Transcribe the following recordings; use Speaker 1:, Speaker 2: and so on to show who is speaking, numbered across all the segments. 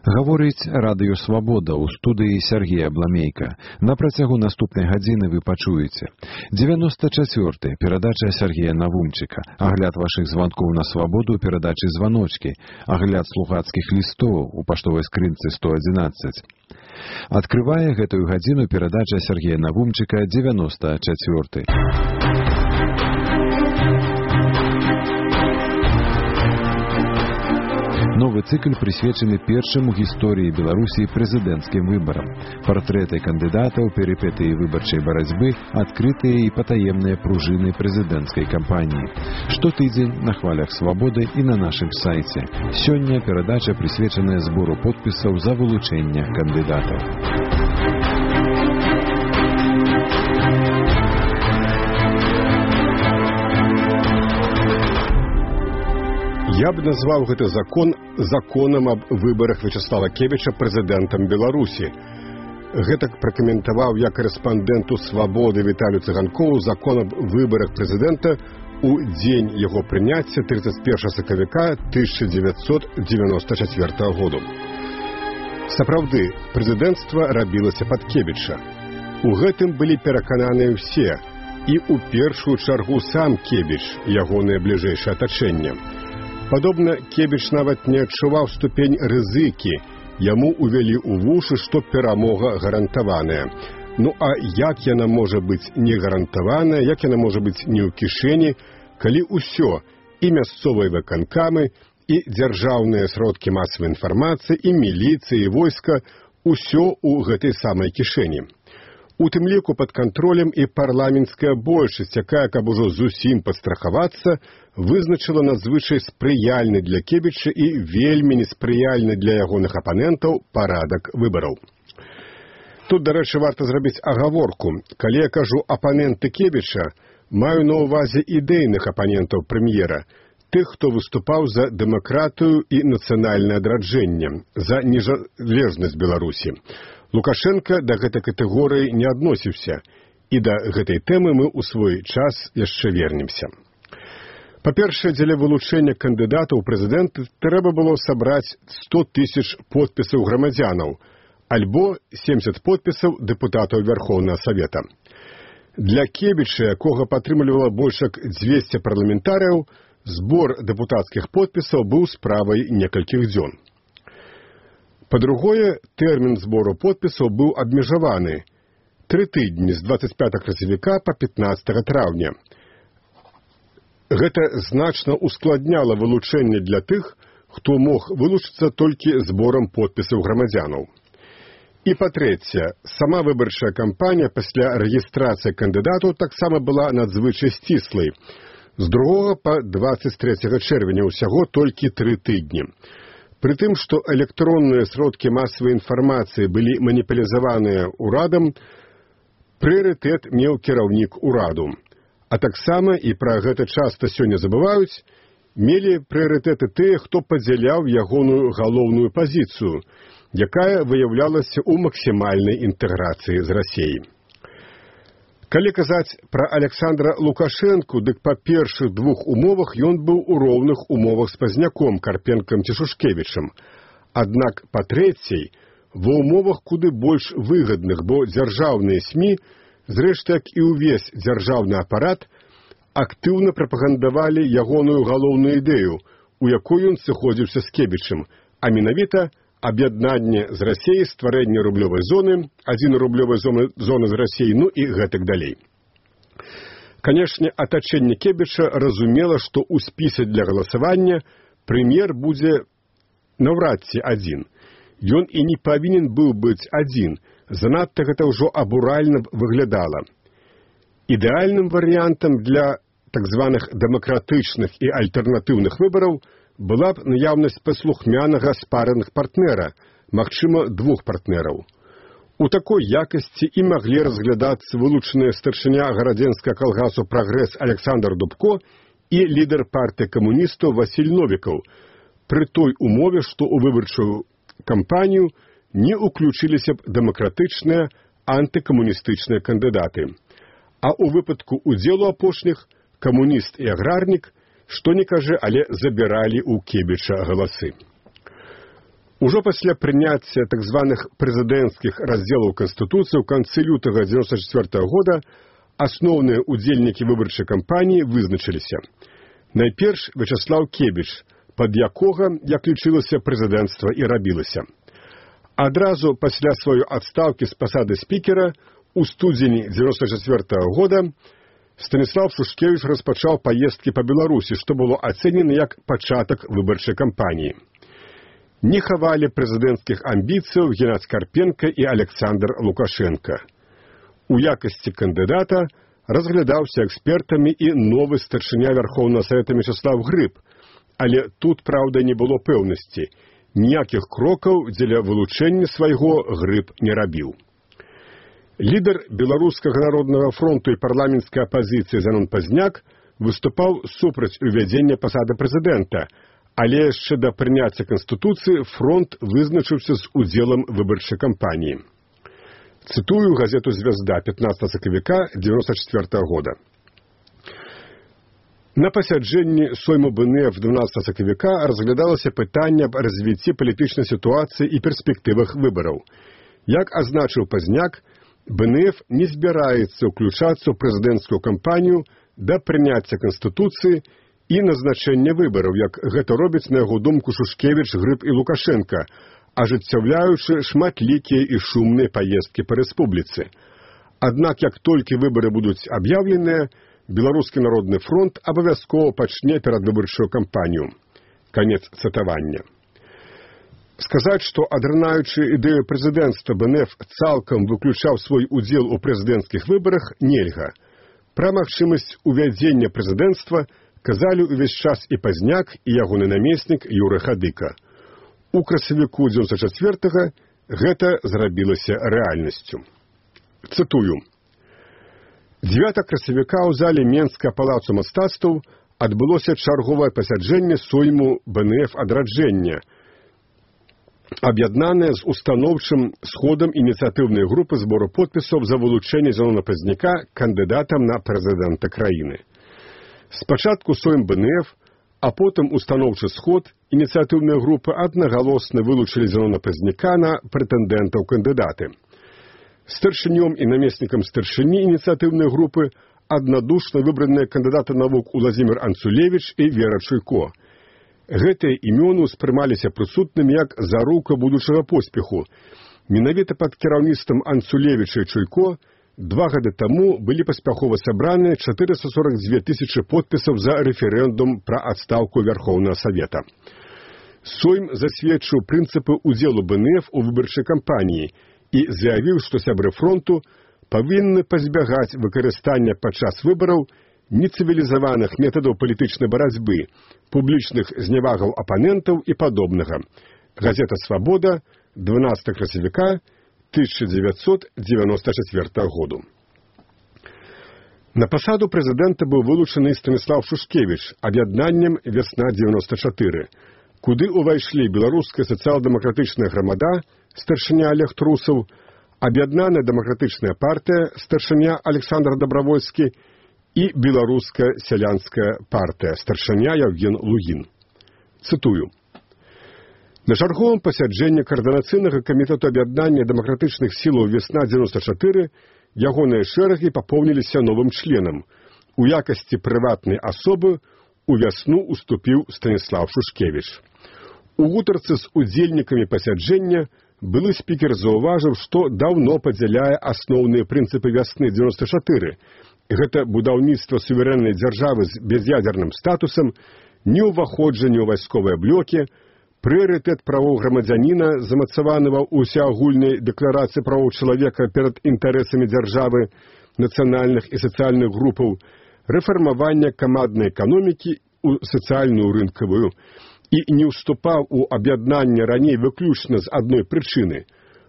Speaker 1: Гаворыць радыё «Свабода» ў студыі Сергея Бламейка. На працягу наступнай гадзіны вы пачуеце 94-й перадача Сергея Навумчыка, агляд вашых званкоў на «Свабоду» перадачы «Званочкі», агляд слухацкіх лістоў у паштовай скрынцы 111. Адкрывае гэтую гадзіну перадача Сергея Навумчыка 94-й. Новы цыкл прысвечаны першым у гісторыі Беларусі прэзідэнцкім выбарам. Партрэты кандыдатаў, перыпетыі выбарчай барацьбы, адкрытыя і патаемныя пружыны прэзідэнцкай кампаніі. Штотыдзень на хвалях «Свабоды» і на нашым сайце. Сёння перадача прысвечаная збору подпісаў за вылучэнне кандыдатаў.
Speaker 2: Я б назваў гэты закон законам аб выбарах Вячеслава Кебіча прэзідэнтам Беларусі. Гэтак пракаментаваў я карэспандэнту «Свабоды» Віталію Цыганкову закон аб выбарах прэзідэнта у дзень яго прыняцця 31 сакавіка 1994 году. Сапраўды, прэзідэнцтва рабілася пад Кебіча. У гэтым былі перакананыя ўсе, і ў першую чаргу сам Кебіч, ягонае бліжэйшае атачэнне. Падобна, Кебіч нават не адчуваў ступень рызыкі. Яму ўвялі ў вушы, што перамога гарантаваная. Ну а як яна можа быць не гарантаваная, як яна можа быць не ў кішэні, калі ўсё, і мясцовыя выканкамы, і дзяржаўныя сродкі масавай інфармацыі, і міліцыя, і войска, усё ў гэтай самай кішэні. У тым ліку пад кантролем і парламенцкая большасць, якая, каб ужо зусім падстрахавацца, вызначыла надзвычай спрыяльны для Кебіча і вельмі неспрыяльны для ягоных апанентаў парадак выбараў. Тут, дарэчы, варта зрабіць агаворку. Калі я кажу апаненты Кебіча, маю на ўвазе ідэйных апанентаў прэм'ера, тых, хто выступаў за дэмакратыю і нацыянальнае адраджэнне, за незалежнасць Беларусі. Лукашенко да гэтай катэгорыі не адносіўся, і да гэтай тэмы мы ў свой час яшчэ вернемся. Па-першае, дзеля вылучэння кандыдатаў у прэзідэнты трэба было сабраць 100 000 подпісаў грамадзянаў, альбо 70 подпісаў дэпутатаў Вярхоўнага Савета. Для Кебіча, якога падтрымлівала больш як 200 парламентарыяў, збор дэпутацкіх подпісаў быў справай некалькіх дзён. Па-другое, тэрмін збору подпісаў быў абмежаваны 3 тыдні з 25 красавіка па 15 траўня. Гэта значна ускладняла вылучэнне для тых, хто мог вылучыцца толькі зборам подпісаў грамадзянаў. І па-трэцяе, сама выбарчая кампанія пасля рэгістрацыі кандыдатаў таксама была надзвычай сціслай. З 2 па 23 чэрвеня ўсяго толькі 3 тыдні. Пры тым, што электронныя сродкі масавай інфармацыі былі маніпулізаваныя ўрадам, прыярытэт меў кіраўнік ураду. А таксама, і пра гэта часта сёння забываюць, мелі прыярытэты тыя, хто падзяляў ягоную галоўную пазіцыю, якая выяўлялася ў максімальнай інтэграцыі з Расіяй. Калі казаць пра Александра Лукашэнку, дык па першых двух умовах ён быў у роўных умовах з Пазняком, Карпенкам ці Шушкевічам. Аднак па трэцяй, ва умовах куды больш выгадных, бо дзяржаўныя СМІ, зрэшты, як і ўвесь дзяржаўны апарат, актыўна прапагандавалі ягоную галоўную ідэю, у якой ён сыходзіўся з Кебічам, а менавіта аб'яднанне з Расіяй, стварэнне рублёвай зоны, 1 рублёвай зоны з Расіяй, ну і гэтак далей. Канешне, атачэнне Кебіча разумела, што ў спісе для галасавання прэм'ер будзе наўрад ці адзін. Ён і не павінен быў быць адзін, занадта гэта ўжо абуральна выглядала. Ідэальным варыянтам для так званых дэмакратычных і альтэрнатыўных выбараў была б наяўнасць паслухмянага спараных партнера, магчыма, 2 партнераў. У такой якасці і маглі разглядацца вылучаныя старшыня гарадзенскага калгасу «Прагрэс» Александр Дубко і лідар партыі камуністаў Васіль Новікаў, пры той умове, што ў выбарчую кампанію не ўключыліся б дэмакратычныя антыкамуністычныя кандыдаты. А ў выпадку удзелу апошніх камуніст і аграрнік, што не кажа, але забіралі ў Кебіча галасы. Ужо пасля прыняцця так званых прэзідэнцкіх раздзелаў Канстытуцыі ў канцы лютага 1994 года асноўныя ўдзельнікі выбарчай кампаніі вызначыліся. Найперш Вячаслаў Кебіч, пад якога, як лічылася, прэзідэнцтва і рабілася. Адразу пасля сваёй адстаўкі з пасады спікера у студзені 1994 года Станіслав Шушкевіч распачаў паездкі па Беларусі, што было ацэнена як пачатак выбарчай кампаніі. Не хавалі прэзідэнцкіх амбіцыяў Геннадзь Карпенка і Александр Лукашенко. У якасці кандыдата разглядаўся экспертамі і новы старшыня Вярхоўнага Савета Мячаслав Грыб, але тут, праўда, не было пэўнасці. Ніякіх крокаў дзеля вылучэння свайго Грыб не рабіў. Лідар Беларускага народнага фронту і парламенцкай апазіцыі Зенон Пазняк выступаў супраць увядзення пасады прэзідэнта, але яшчэ да прыняцця Канстытуцыі фронт вызначыўся з удзелам выбарчай кампаніі. Цытую газету «Звезда» 15 сакавіка 1994 года. На пасяджэнні Сойму БНФ 12 сакавіка разглядалася пытанне аб развіцці палітычнай сітуацыі і перспектывах выбараў. Як азначыў Пазняк, БНФ не збіраецца ўключацца ў прэзідэнцкую кампанію да прыняцця Канстытуцыі і назначэння выбараў, як гэта робіць, на яго думку, Шушкевіч, Грыб і Лукашенко, ажыццяўляючы шматлікія і шумныя паездкі па рэспубліцы. Аднак, як толькі выбары будуць аб'яўленыя, Беларускі народны фронт абавязкова пачне перадвыбарчую кампанію. Канец цытавання. Сказаць, што адрынаючы ідэю прэзідэнцтва БНФ цалкам выключаў свой удзел у прэзідэнцкіх выбарах, нельга. Пра магчымасць увядзення прэзідэнцтва казалі ўвесь час і Пазняк, і ягоны намеснік Юры Хадыка. У красавіку 94-го гэта зрабілася рэальнасцю. Цытую. 9 красавіка ў зале Менскага палацу мастацтваў адбылося чарговае пасяджэнне Сойму БНФ адраджэння, аб'яднанае з устаноўчым сходам ініцыятыўнай групы збору подпісаў за вылучэнне Зенона Пазняка кандыдатам на прэзідэнта краіны. Спачатку Сойм БНФ, а потым устаноўчы сход ініцыятыўнай групы аднагалосна вылучылі Зенона Пазняка на прэтэндэнта ў кандыдаты. Старшынём і намеснікам старшыні ініцыятыўнай групы аднадушна выбраныя кандыдаты навук Уладзімір Анцулевіч і Вера Чуйко. Гэтыя імёны ўспрымаліся прысутнымі як зарука будучага поспеху. Менавіта пад кіраўніцтвам Анцулевіча і Чуйко 2 гады таму былі паспяхова сабраныя 442 тысячы подпісаў за рэферэндум пра адстаўку Вярхоўнага Савета. Сойм засведчыў прынцыпы ўдзелу БНФ у выбарчай кампаніі і заявіў, што сябры фронту павінны пазбягаць выкарыстання падчас выбараў нецывілізаваных метадаў палітычнай барацьбы, публічных зневагаў апанентаў і падобнага. Газета «Свабода», 12 красавіка 1994 году. На пасаду прэзідэнта быў вылучаны Станіслав Шушкевіч аб'яднаннем «Вясна-94», куды ўвайшлі Беларуская сацыял-дэмакратычная грамада, старшыня Олег Трусаў, Аб'яднаная дэмакратычная партыя, старшыня Александр Добравольскі і Беларуская сялянская партыя, старшыня Яўген Лугін. Цытую. На чарговым пасяджэнні каардынацыйнага камітэту аб'яднання дэмакратычных сілаў «Вясна-94» ягоныя шэрагі папоўніліся новым членам. У якасці прыватнай асобы у «Вясну» уступіў Станіслав Шушкевіч. У гутарцы з удзельнікамі пасяджэння былы спікер заўважыў, што даўно падзяляе асноўныя прынцыпы «Вясны-94». Гэта будаўніцтва суверэннай дзяржавы з без'ядзерным статусам, неўваходжанне ў вайсковыя блокі, прыярытэт правоў грамадзяніна, замацаванага ў усеагульнай дэкларацыі правоў чалавека перад інтарэсамі дзяржавы, нацыянальных і сацыяльных групаў, рэфармаванне каманднай эканомікі ў сацыяльную рынкавую і не ўступаў у аб'яднанне раней выключна з адной прычыны.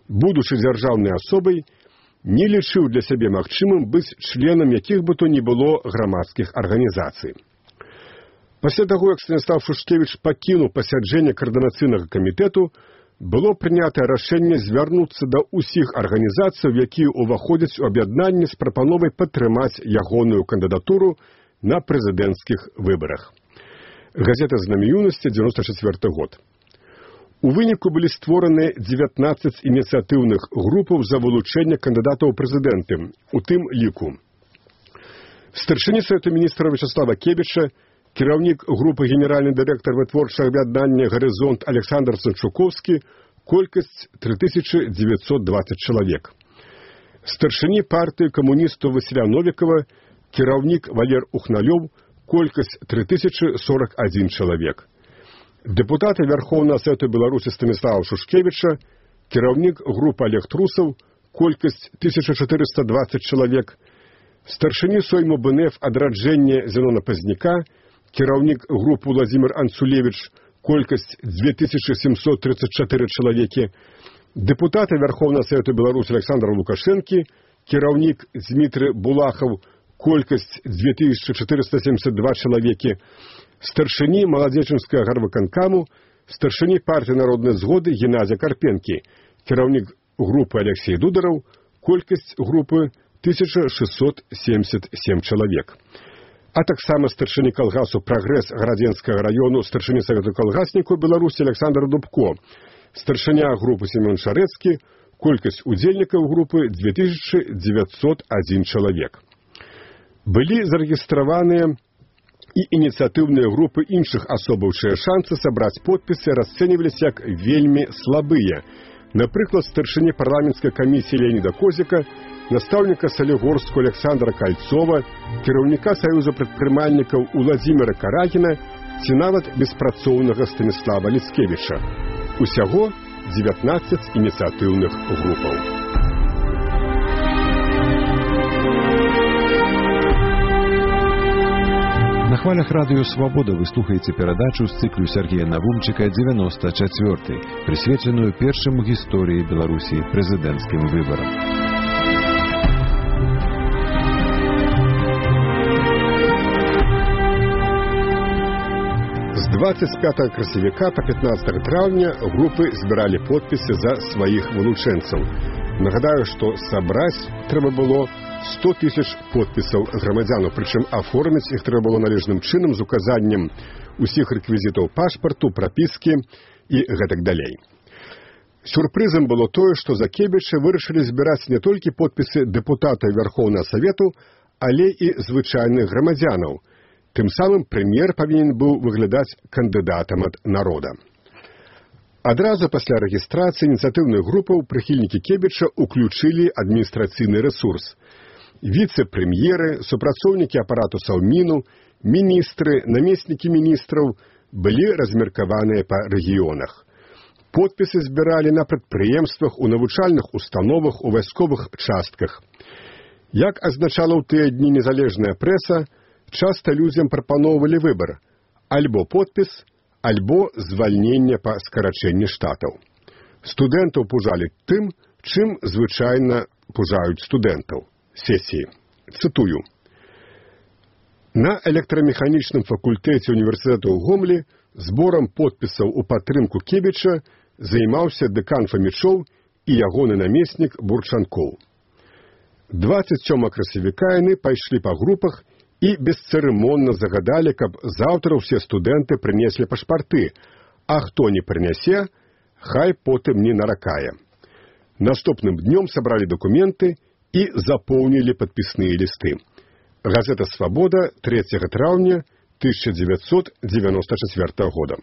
Speaker 2: Будучы дзяржаўнай асобай, не лічыў для сябе магчымым быць членам якіх бы то ні было грамадскіх арганізацый. Пасля таго, як Станіслав Шушкевіч пакінуў пасяджэнне каардынацыйнага камітэту, было прынятае рашэнне звярнуцца да ўсіх арганізацыяў, якія ўваходзяць у аб'яднанне з прапановай падтрымаць ягоную кандыдатуру на прэзідэнцкіх выбарах. Газета «Знамя юнасці», 94 год. У выніку былі створаны 19 ініцыятыўных групаў за вылучэнне кандыдатаў у прэзідэнты, у тым ліку. Старшыні Савету міністраў Вячаслава Кебіча, кіраўнік групы генеральны дырэктар вытворчага аб'яднання «Гарызонт» Александр Санчуковскі, колькасць 3920 чалавек. Старшыні партыі камуністаў Васіля Новікава, кіраўнік Валер Ухналёў, колькасць 3041 чалавек. Дэпутаты Вярхоўнага Савету Беларусі Станіслава Шушкевіча, кіраўнік групы Олег Трусаў, колькасць 1420 чалавек. Старшыні Сойму БНФ адраджэння Зенона Пазняка, кіраўнік групы Владзімір Анцулевіч, колькасць 2734 чалавекі. Дэпутаты Вярхоўнага Савету Беларусі Александр Лукашэнкі, кіраўнік Дмітрый Булахаў, колькасць 2472 чалавекі. Старшыні Маладзечынскага гарвыканкаму, старшыні партыі народнай згоды Геннадзя Карпенкі, кіраўнік групы Алексей Дудараў, колькасць групы 1677 чалавек. А таксама старшыні калгасу «Прагрэс» Гарадзенскага раёну, старшыні Савету калгаснікаў Беларусі Александр Дубко, старшыня групы Семён Шарэцкі, колькасць удзельнікаў групы 2901 чалавек. Былі зарэгістраваныя і ініцыятыўныя групы іншых асобаў, чые шансы сабраць подпісы расцэньваліся як вельмі слабыя. Напрыклад, старшыні парламенцкай камісіі Леоніда Козіка, настаўніка Салігорску Александра Кальцова, кіраўніка Саюза прадпрымальнікаў Уладзіміра Карагіна ці нават беспрацоўнага Станіслава Ліцкевіча. Усяго 19 ініцыятыўных групаў.
Speaker 1: На хвалях радыё «Свабода» вы слухаеце перадачу з цыклю Сергея Навумчыка «94», прысвечаную першым у гісторыі Беларусі прэзідэнцкім выбарам.
Speaker 2: З 25 красавіка па 15 траўня групы збіралі подпісы за сваіх вылучэнцаў. Нагадаю, што сабраць трэба было 100 тысяч подпісаў грамадзянаў, прычым аформіць іх трэба было належным чынам з указаннем усіх рэквізітаў пашпарту, прапіскі і гэтак далей. Сюрпрызам было тое, што за Кебіча вырашылі збіраць не толькі подпісы дэпутатаў Вярхоўнага Савету, але і звычайных грамадзянаў. Тым самым прэм'ер павінен быў выглядаць кандыдатам ад народа. Адразу пасля рэгістрацыі ініцыятыўных групаў прыхільнікі Кебіча ўключылі адміністрацыйны рэсурс. Віцэ-прэм'еры, супрацоўнікі апарату Саўміну, міністры, намеснікі міністраў былі размеркаваныя па рэгіёнах. Подпісы збіралі на прадпрыемствах, у навучальных установах, у вайсковых частках. Як азначала ў тыя дні незалежная прэса, часта людзям прапаноўвалі выбар – альбо подпіс, альбо звальненне па скарачэнні штатаў. Студэнтаў пужалі тым, чым звычайна пужаюць студэнтаў – сесіі. Цытую. На электрамеханічным факультэце універсітэту ў Гомлі зборам подпісаў у падтрымку Кебіча займаўся дэкан Фамічоў і ягоны намеснік Бурчанкоў. 27 красавіка яны пайшлі па групах і бесцырымонна загадалі, каб заўтра ўсе студэнты прынеслі пашпарты, а хто не прынясе, хай потым не наракае. Наступным днём сабралі дакументы і запоўнілі падпісныя лісты. Газета «Свабода» 3 траўня 1994 года.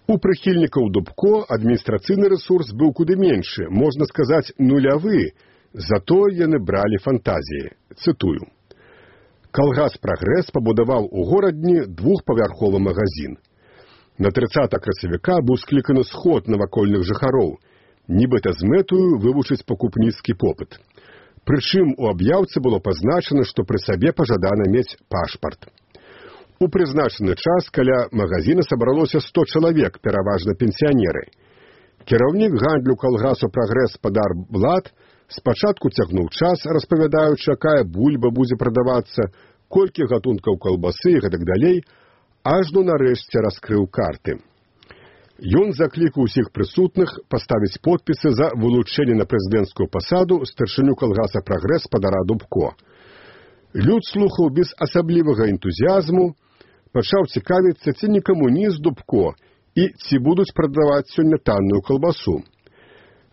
Speaker 2: У прыхільнікаў Дубко адміністрацыйны рэсурс быў куды меншы, можна сказаць, нулявы, зато яны бралі фантазіі. Цытую. Калгас «Прагрэс» пабудаваў у горадні двухпавярховы магазин. На 30 красавіка быў скліканы сход навакольных жыхароў, нібыта з мэтаю вывучыць пакупніцкі попыт. Прычым у аб'яўцы было пазначана, што пры сабе пажадана мець пашпарт. У прызначаны час каля магазина сабралося 100 чалавек, пераважна пенсіянеры. Кіраўнік гандлю калгасу «Прагрэс» Падар Блат спачатку цягнуў час, распавядаючы, якая бульба будзе прадавацца, колькі гатункаў калбасы і гэтак далей, аж до нарэшце раскрыў карты. Ён заклікаў усіх прысутных паставіць подпісы за вылучэнне на прэзідэнцкую пасаду старшыню калгаса «Прагрэс» Падара Дубко. Люд слухаў без асаблівага энтузіязму, пачаў цікавіцца, ці не камуніст Дубко і ці будуць прадаваць сёння танную калбасу.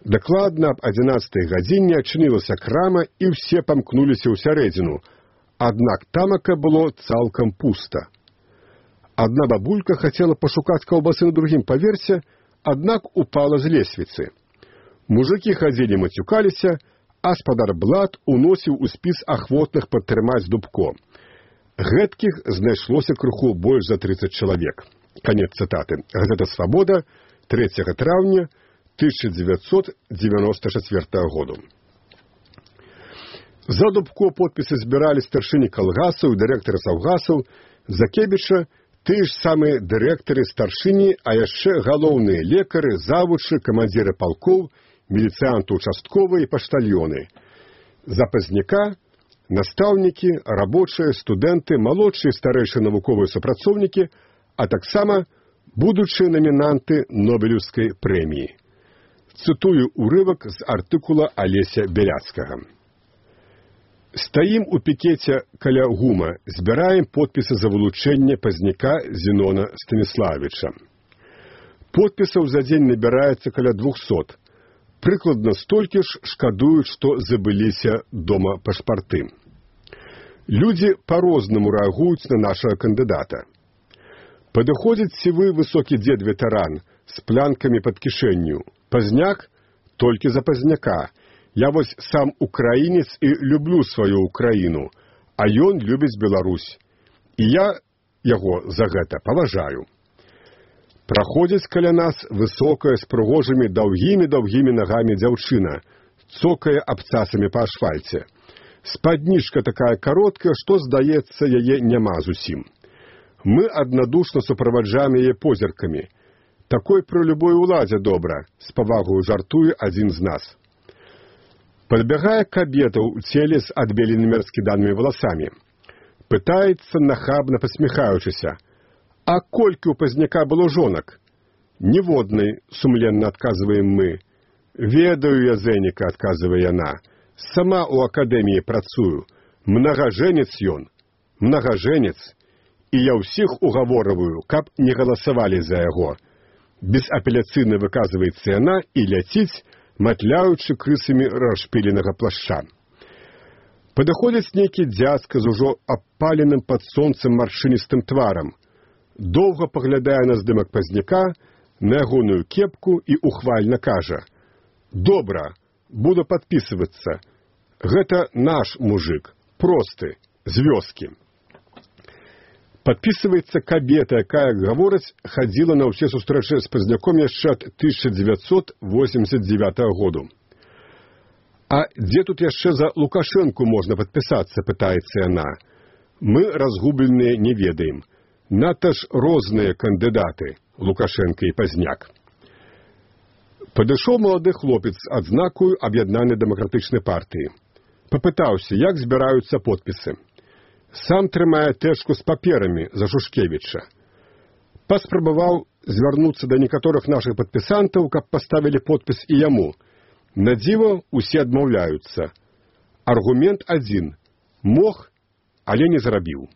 Speaker 2: Дакладна аб 11 гадзіне адчынілася крама, і ўсе памкнуліся ўсярэдзіну, аднак тамака было цалкам пуста. Адна бабулька хацела пашукаць каўбасы на другім паверсе, аднак упала з лесвіцы. Мужыкі хадзілі мацюкаліся, а спадар Блад уносіў у спіс ахвотных падтрымаць Дубко. Гэткіх знайшлося крыху больш за 30 чалавек. Канец цытаты. Газета «Свабода», 3 траўня 1994 году. За Дубко подпісы збіралі старшыні калгасаў і дырэктары саўгасаў, за Кебіча тыя ж самыя дырэктары старшыні, а яшчэ галоўныя лекары, завучы, камандзіры палкоў, міліцыянты участковыя і паштальёны. За Пазняка настаўнікі, рабочыя, студэнты, малодшыя і старэйшыя навуковыя супрацоўнікі, а таксама будучыя намінанты Нобелеўскай прэміі. Цытую урывак з артыкула Алеся Бяляцкага. «Стаім у пікеце каля ГУМа, збіраем подпісы за вылучэнне Пазняка Зінона Станіславовича. Подпісаў за дзень набіраецца каля 200. Прыкладна столькі ж шкадуюць, што забыліся дома пашпарты. Людзі па-рознаму рэагуюць на нашага кандыдата. Падыходзіць сівы высокі дзед-ветэран з плянкамі пад кішэнню. Пазняк толькі за Пазняка. Я вось сам украінец і люблю сваю Украіну, а ён любіць Беларусь. І я яго за гэта паважаю. Праходзіць каля нас высокая з прыгожымі даўгімі нагамі дзяўчына, цокае абцасамі па асфальце. Спаднічка такая кароткая, што, здаецца, яе няма зусім. Мы аднадушна суправаджаем яе позіркамі. Такой пры любой уладзе добра, з павагою жартуе адзін з нас. Падбягае кабета ў целе з адбеленымі раскіданымі валасамі. Пытаецца, нахабна пасміхаючыся. А колькі ў Пазняка было жонак? Ніводнай, сумленна адказваем мы. Ведаю я, Зэніка, адказвае яна. Сама ў акадэміі працую. Мнагажэнец ён. Мнагажэнец. І я ўсіх угаворваю, каб не галасавалі за яго. Безапеляцыйна выказваецца яна і ляціць, матляючы крысамі расшпіленага плашча. Падыходзіць нейкі дзядзька з ужо абпаленым пад сонцам маршчыністым тварам. Доўга паглядае на здымак Пазняка, на ягоную кепку і ухвальна кажа: «Добра, буду падпісвацца. Гэта наш мужык, просты, з вёскі». Падпісваецца кабета, якая, гавораць, хадзіла на ўсе сустрэчы з Пазняком яшчэ ад 1989 году. «А дзе тут яшчэ за Лукашэнку можна падпісацца?» – пытаецца яна. «Мы разгубленыя не ведаем. Надта ж розныя кандыдаты, Лукашенко і Пазняк». Падышоў малады хлопец адзнакою аб'яднанай дэмакратычнай партыі. Папытаўся, як збіраюцца подпісы. Сам трымае тэшку з паперамі за Шушкевіча. Паспрабаваў звярнуцца да некаторых нашых падпісантаў, каб паставілі подпіс і яму. На дзіва усе адмаўляюцца. Аргумент адзін. Мог, але не зрабіў.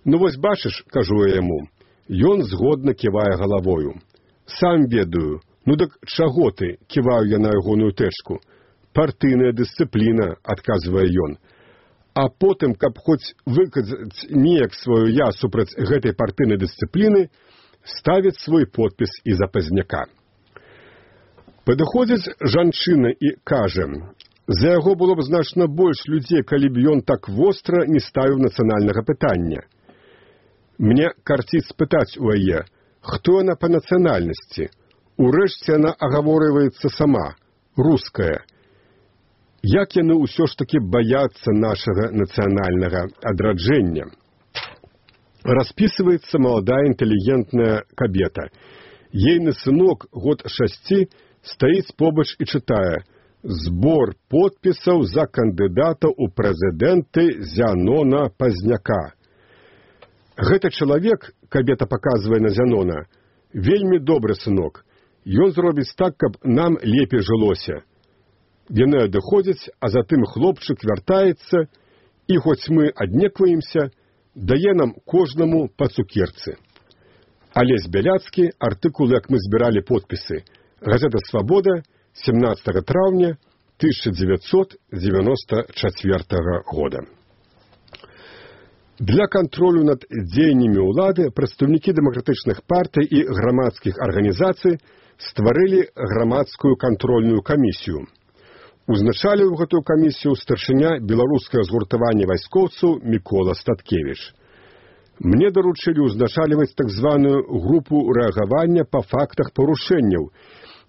Speaker 2: «Ну вось бачыш, — кажу я яму, — ён згодна ківае галавою. Сам ведаю, ну дык чаго ты?» — ківаю я на ягоную тэшку. «Партыйная дысцыпліна», — адказвае ён. А потым, каб хоць выказаць неяк сваю я супраць гэтай партыйнай дысцыпліны, ставіць свой подпіс і за Пазняка. Падыходзіць жанчына і кажа: «За яго было б значна больш людзей, калі б ён так востра не ставіў нацыянальнага пытання». Мне карціць спытаць у яе, хто яна па нацыянальнасці. Урэшце яна агаворваецца сама, руская. Як яны ўсё ж такі баяцца нашага нацыянальнага адраджэння? Распісваецца маладая інтэлігентная кабета. Ейны сынок, год 6, стаіць побач і чытае: «Збор подпісаў за кандыдата ў прэзідэнты Зянона Пазняка». Гэта чалавек, кабета паказвае на Зянона, вельмі добры сынок. Ён зробіць так, каб нам лепей жылося. Яны адыходзяць, а затым хлопчык вяртаецца, і хоць мы аднекваемся, дае нам кожнаму па цукерцы. Алесь Бяляцкі, артыкул «Як мы збіралі подпісы». Газета «Свабода», 17 траўня 1994 года. Для кантролю над дзеяннямі ўлады прадстаўнікі дэмакратычных партый і грамадскіх арганізацый стварылі грамадскую кантрольную камісію. Узначаліў гэтую камісію старшыня беларускага згуртавання вайскоўцаў Мікола Статкевіч. Мне даручылі узначальваць так званую групу рэагавання па фактах парушэнняў,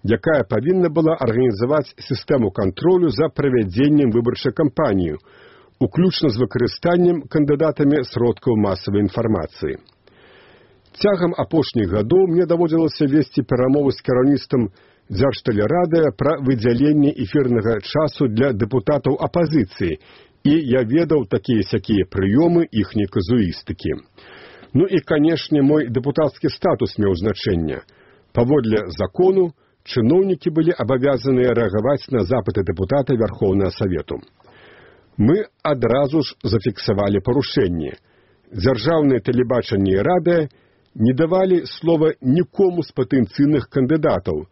Speaker 2: якая павінна была арганізаваць сістэму кантролю за правядзеннем выбарчай кампаніі, уключна з выкарыстаннем кандыдатамі сродкаў масавай інфармацыі. Цягам апошніх гадоў мне даводзілася весці перамовы з кіраўніцтвам Дзяржтэлерадыё пра выдзяленне эфірнага часу для дэпутатаў апазіцыі, і я ведаў такія-сякія прыёмы іхняй казуістыкі. Ну і, канешне, мой дэпутацкі статус меў значэнне. Паводле закону, чыноўнікі былі абавязаныя рэагаваць на запыты дэпутата Вярхоўнага Савету. Мы адразу ж зафіксавалі парушэнні. Дзяржаўнае тэлебачанне і радыё не давалі слова нікому з патэнцыйных кандыдатаў,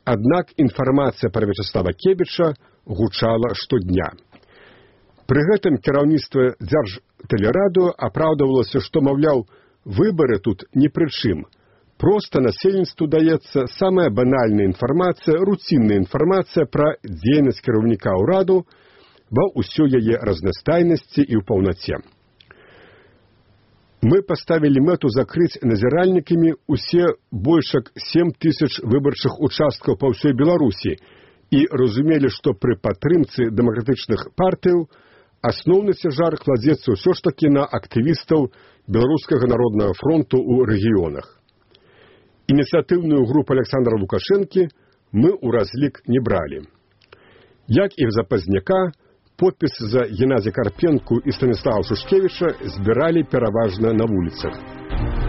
Speaker 2: аднак інфармацыя пра Вячаслава Кебіча гучала штодня. Пры гэтым кіраўніцтва Дзяржтэлерадыё апраўдвалася, што, маўляў, выбары тут ні пры чым. Проста насельніцтву даецца самая банальная інфармацыя, руцінная інфармацыя пра дзейнасць кіраўніка ўраду ва ўсёй яе разнастайнасці і ў паўнаце. Мы паставілі мэту закрыць назіральнікамі усе больш як 7 тысяч выбарчых участкаў па ўсёй Беларусі і разумелі, што пры падтрымцы дэмакратычных партыяў асноўны цяжар кладзецца ўсё ж такі на актывістаў Беларускага народнага фронту ў рэгіёнах. Ініцыятыўную групу Александра Лукашэнкі мы ў разлік не бралі. Як і за пазняка, подпісы за Геннадзя Карпенку і Станіслава Шушкевіча збіралі пераважна на вуліцах.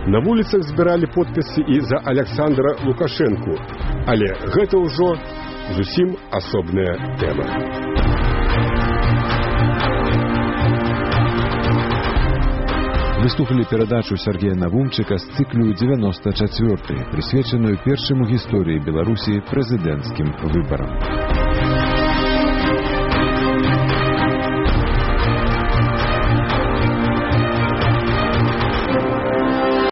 Speaker 2: На вуліцах збіралі подпісы і за Александра Лукашэнку, але гэта ўжо зусім асобная тэма.
Speaker 1: Вы слухали перадачу Сергея Навумчыка з цыклю 94, прысвечаную першым у гісторыі Беларусі прэзідэнцкім выбарам.